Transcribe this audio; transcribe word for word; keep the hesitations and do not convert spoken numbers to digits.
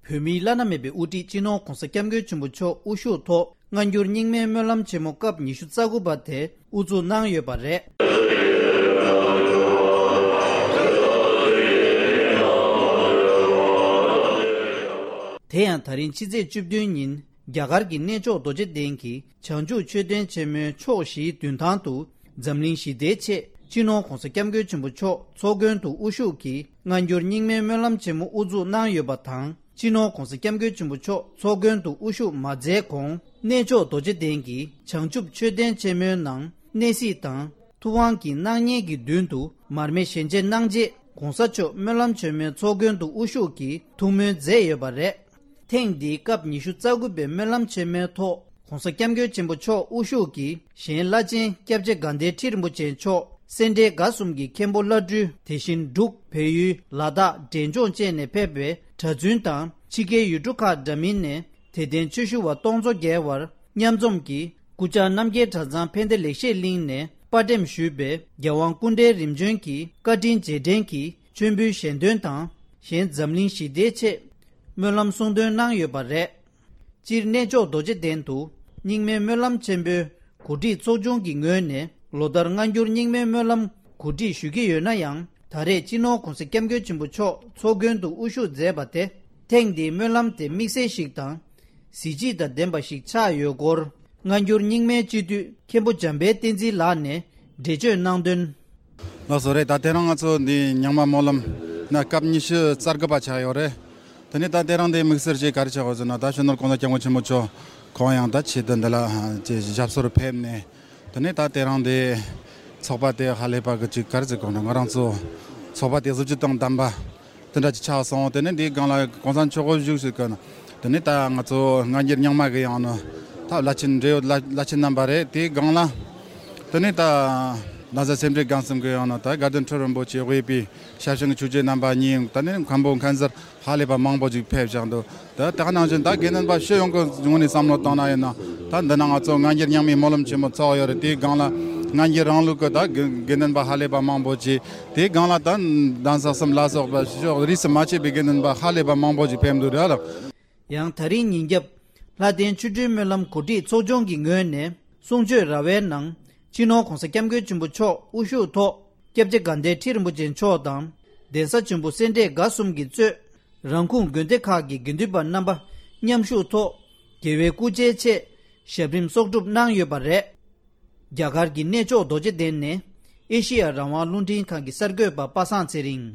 བོད་མིའི་བླ་ན་མེད་པའི་དབུ་ཁྲིད་སྤྱི་ནོར་༧གོང་ས་༧སྐྱབས་མགོན་ཆེན་པོ་མཆོག་དབུ་བཞུགས་ཐོག་སྔ་འགྱུར་རྙིང་མའི་སྨོན་ལམ་ཆེན་མོ་སྐབས་ཉི་ཤུ་རྩ་དགུ་པ་དེ་དབུ་འཛུགས་གནང་ཡོད་པ་རེད། དེ་ཡང་ད་རིང་ཕྱི་ཚེས་བཅུ་བདུན་ཉིན་རྒྱ་གར་གྱི་གནས་མཆོག་རྡོ་རྗེ་གདན་གྱི་བྱང་ཆུབ་མཆོད་རྟེན་ཆེན་མོའི་ཕྱོགས་བཞིའི་མདུན་ཐང་དུ་འཛམ་གླིང་ཞི་བདེའི་ཆེད་སྤྱི་ནོར་༧གོང་ས་༧སྐྱབས་མགོན་ཆེན་པོ་མཆོག་ཚོགས་མགོན་དུ་དབུ་བཞུགས་ཀྱིས་སྔ་འགྱུར་རྙིང་མའི་སྨོན་ལམ་ཆེན་མོ་དབུ་འཛུགས་གནང་ཡོད་པ་དང་། སྤྱི་ནོར་༧གོང་ས་༧སྐྱབས་མགོན་ཆེན་པོ་མཆོག་ཚོགས་མགོན་དུ་དབུ་བཞུགས་མ་མཛད་གོང་གནས་མཆོག་རྡོ་རྗེ་གདན་གྱི་བྱང་ཆུབ་མཆོད་རྟེན་ཆེན་མོའི་ནང་གནས་གཟིགས་དང་ཐུབ་དབང་གི་སྣང་བརྙན་གྱི་མདུན་དུ་མར་མེ་ཞལ་འབྱེད་གནང་རྗེས་༧གོང་ས་མཆོག་སྨོན་ལམ་ཆེན་མོའི་ཚོགས་མགོན་དུ་དབུ་བཞུགས་ཀྱིས་ཐུགས་སྨོན་མཛད་ཡོད་པ་རེད། ཐེངས་འདིའི་སྐབས་ཉི་ཤུ་རྩ་དགུ་པའི་སྨོན་ལམ་ཆེན་མོའི་ཐོག་༧གོང་ས་༧སྐྱབས་མགོན་ཆེན་པོ་མཆོག་དབུ་བཞུགས་ཀྱིས་གཞན་བླ་ཆེན་སྐྱབས་རྗེ་དགའ་ལྡན་ཁྲི་རིན་པོ་ཆེ་མཆོག་སེ་འབྲས་དགའ་གསུམ་གྱི་མཁན་པོ་བླ་སྤྲུལ། དེ་བཞིན་འབྲུག་བལ་ཡུལ་ལ་དྭགས་འབྲས་ལྗོངས་བཅས་ནས་ཕེབས་པའི་གྲྭ་བཙུན་དང་ཕྱི་རྒྱལ་ཡུལ་གྲུ་ཁག་འདྲ་མིན་ནས་དད་ལྡན་ཆོས་ཞུ་བ་སྟོང་ཚོ་བརྒལ་བར་མཉམ་འཛོམས་ཀྱིས་སྐུ་བཅར་རྣམ་རྒྱལ་གྲྭ་ཚང་ཕན་བདེ་ལེགས་བཤད་གླིང་ནས་པར་འགྲེམས་ཞུས་པའི་རྒྱལ་དབང་སྐུ་ཕྲེང་རིམ་བྱོན་གྱི་བཀའ་དྲིན་རྗེས་དྲན་གྱི་མཆོད་འབུལ་ཞལ་འདོན་དང་གཞན་འཛམ་གླིང་ཞི་བདེའི་ཆེད་སྨོན་ལམ་གསུང་འདོན་གནང་ཡོད་པ་རེད། སྤྱིར་གནས་མཆོག་རྡོ་རྗེ་གདན་དུ་རྙིང་མའི་སྨོན་ལམ་ཆེན་པོའི་གོ་སྒྲིག་ཚོགས་ཆུང་གི་ངོས་ནས་ལོ་ལྟར་སྔ་འགྱུར་རྙིང་མའི་སྨོན་ལམ་གོ་སྒྲིག་ཞུ་གི་ཡོད་ན་ཡང་། ད་རེས་སྤྱི་ནོར་༧གོང་ས་༧སྐྱབས་མགོན་ཆེན་པོ་མཆོག་ཚོགས་མགོན་དུ་དབུ་བཞུགས་མཛད་པ་དེ་ཐེངས་འདིའི་སྨོན་ལམ་དེ་དམིགས་བསལ་ཞིག་དང་གཟི་བརྗིད་དང་ལྡན་པ་ཞིག་ཆགས་ཡོད་སྐོར་སྔ་འགྱུར་རྙིང་མའི་སྤྱི་འཐུས་མཁན་པོ་འཇམ་དཔལ་བསྟན་འཛིན་ལགས་ནས་འགྲེལ་བརྗོད་གནང་དོན། ལགས་སོ་རེད། ད་དེ་རིང་ང་ཚོ་འདི་རྙིང་མ་སྨོན་ལམ་ན་སྐབས་ཉི་ཤུ་རྩ་དགུ་པ་ཆགས་ཡོད་རེད། དེ་ནས་ད་དེ་རིང་འདི་དམིགས་བསལ་ཅིག་ག་རེ་ཆགས་ཡོད་ཟེར་ན། ད་སྤྱི་ནོར་༧གོང་ས་༧སྐྱབས་མགོན་ཆེན་པོ་མཆོག་ཁོང་ཡང་ད་ཆེད་དུ་འདི་ལ་ཅིག་ཞབས་སོར་ཕེབས་ནས། དེ་ནས་ད་དེ་རིང་འདི་ཚོགས་པ་དེ་ཧ་ལས་པ་གི་ཅིག་ག་རེ་ཟེར་དགོས་ན། ང་རང་ཚོ་ཚོགས་པ་དེ་གཟི་བརྗིད་དང་ལྡན་པ་དེ་འདྲ་ཅིག་ཆགས་སོང་། དེ་ནས་འདིའི་སྒང་ལ་གོང་ས་མཆོག་དབུ་བཞུགས་ཟེར་གི་ན། དེ་ནས་ད་ང་ཚོ་སྔ་འགྱུར་རྙིང་མ་གི་ཡང་ན་ད་བླ་ཆེན་འབྲེལ་ཡོད་བླ་བླ་ཆེན་རྣམ་པ་རེད། དེའི་སྒང་ལ་དེ་ནས་ད་གདན་ས་སེ་འབྲས་དགའ་གསུམ་གི་ཡང་ན་ད་དགའ་ལྡན་ཁྲི་རིན་པོ་ཆེ་དབུས་པའི་ཞབས་ཞུ་ཆོས་རྗེ་རྣམ་པ་གཉིས། དེ་ནས་མཁན་པོ་མཁན་ཟུར་ཧ་ལས་པ་མང་པོ་ཅིག་ཕེབས་བཞག་འདུག་ད་དེ་ག་ནང་བཞིན་ད་དགེ་འདུན་པ་སྤྱི་ཡོངས་ཀྱི་ངོས་ནས་བསམ་བློ་བཏང་ན་ཡིན་ན། ད་འདི་ན་ང་ཚོ་སྔ་འགྱུར་རྙིང་མའི་སྨོན་ལམ་ཆེན་མོ་ཚོགས་ཡོད་རེད། དེའི་སྒང་ལ་སྔ་འགྱུར་རང་ལུགས་ཀྱི་ད་དགེ་དགེ་འདུན་པ་ཧ་ལས་པ་མང་པོ་ཅིག་དེའི་སྒང་ལ་ད་གདན་ས་གསུམ་ལ་སོགས་པ་ཕྱོགས་རིས་སུ་མ་ཆད་པའི་དགེ་འདུན་པ་ཧ་ལས་པ་མང་པོ་ཅིག་ཕེབས་འདུག་རེད་ལགས། ཡང་ད་རིང་ཉིན་རྒྱབ་ལྷ་ལྡན་ཆོ་འཕྲུལ་སྨོན་ལམ་གོ་སྒྲིག་ཚོགས་ཆུང་གི་ངོས་ནས་གསུང་ཆོས་ར་བའི་ནང་སྤྱི་ནོར་༧གོང་ས་༧སྐྱབས་མགོན་ཆེན་པོ་མཆོག་དབུ་བཞུགས་ཐོག་སྐྱབས་རྗེ་དགའ་ལྡན་ཁྲི་རིན་པོ་ཆེ་མཆོག་དང་གདན་ས་ཆེན་པོ་སེ་འབྲས་དགའ་གསུམ་གྱིས་གཙོས་རང་ཁུངས་དགོན་སྡེ་ཁག་གི་དགེ་འདུན་པ་རྣམ་པ་མཉམ་ཞུགས་ཐོག་རྒྱལ་བའི་སྐུ་ཕྱྭའི་ཆེད་ཞབས་རིམ་གསོག་སྒྲུབ་གནང་ཡོད་པ་རེད། རྒྱ་གར་གྱི་གནས་མཆོག་རྡོ་རྗེ་གདན་ནས་ཨེ་ཤེ་ཡ་རང་དབང་རླུང་འཕྲིན་ཁང་གི་གསར་འགོད་པ་པ་སངས་ཚེ་རིང་།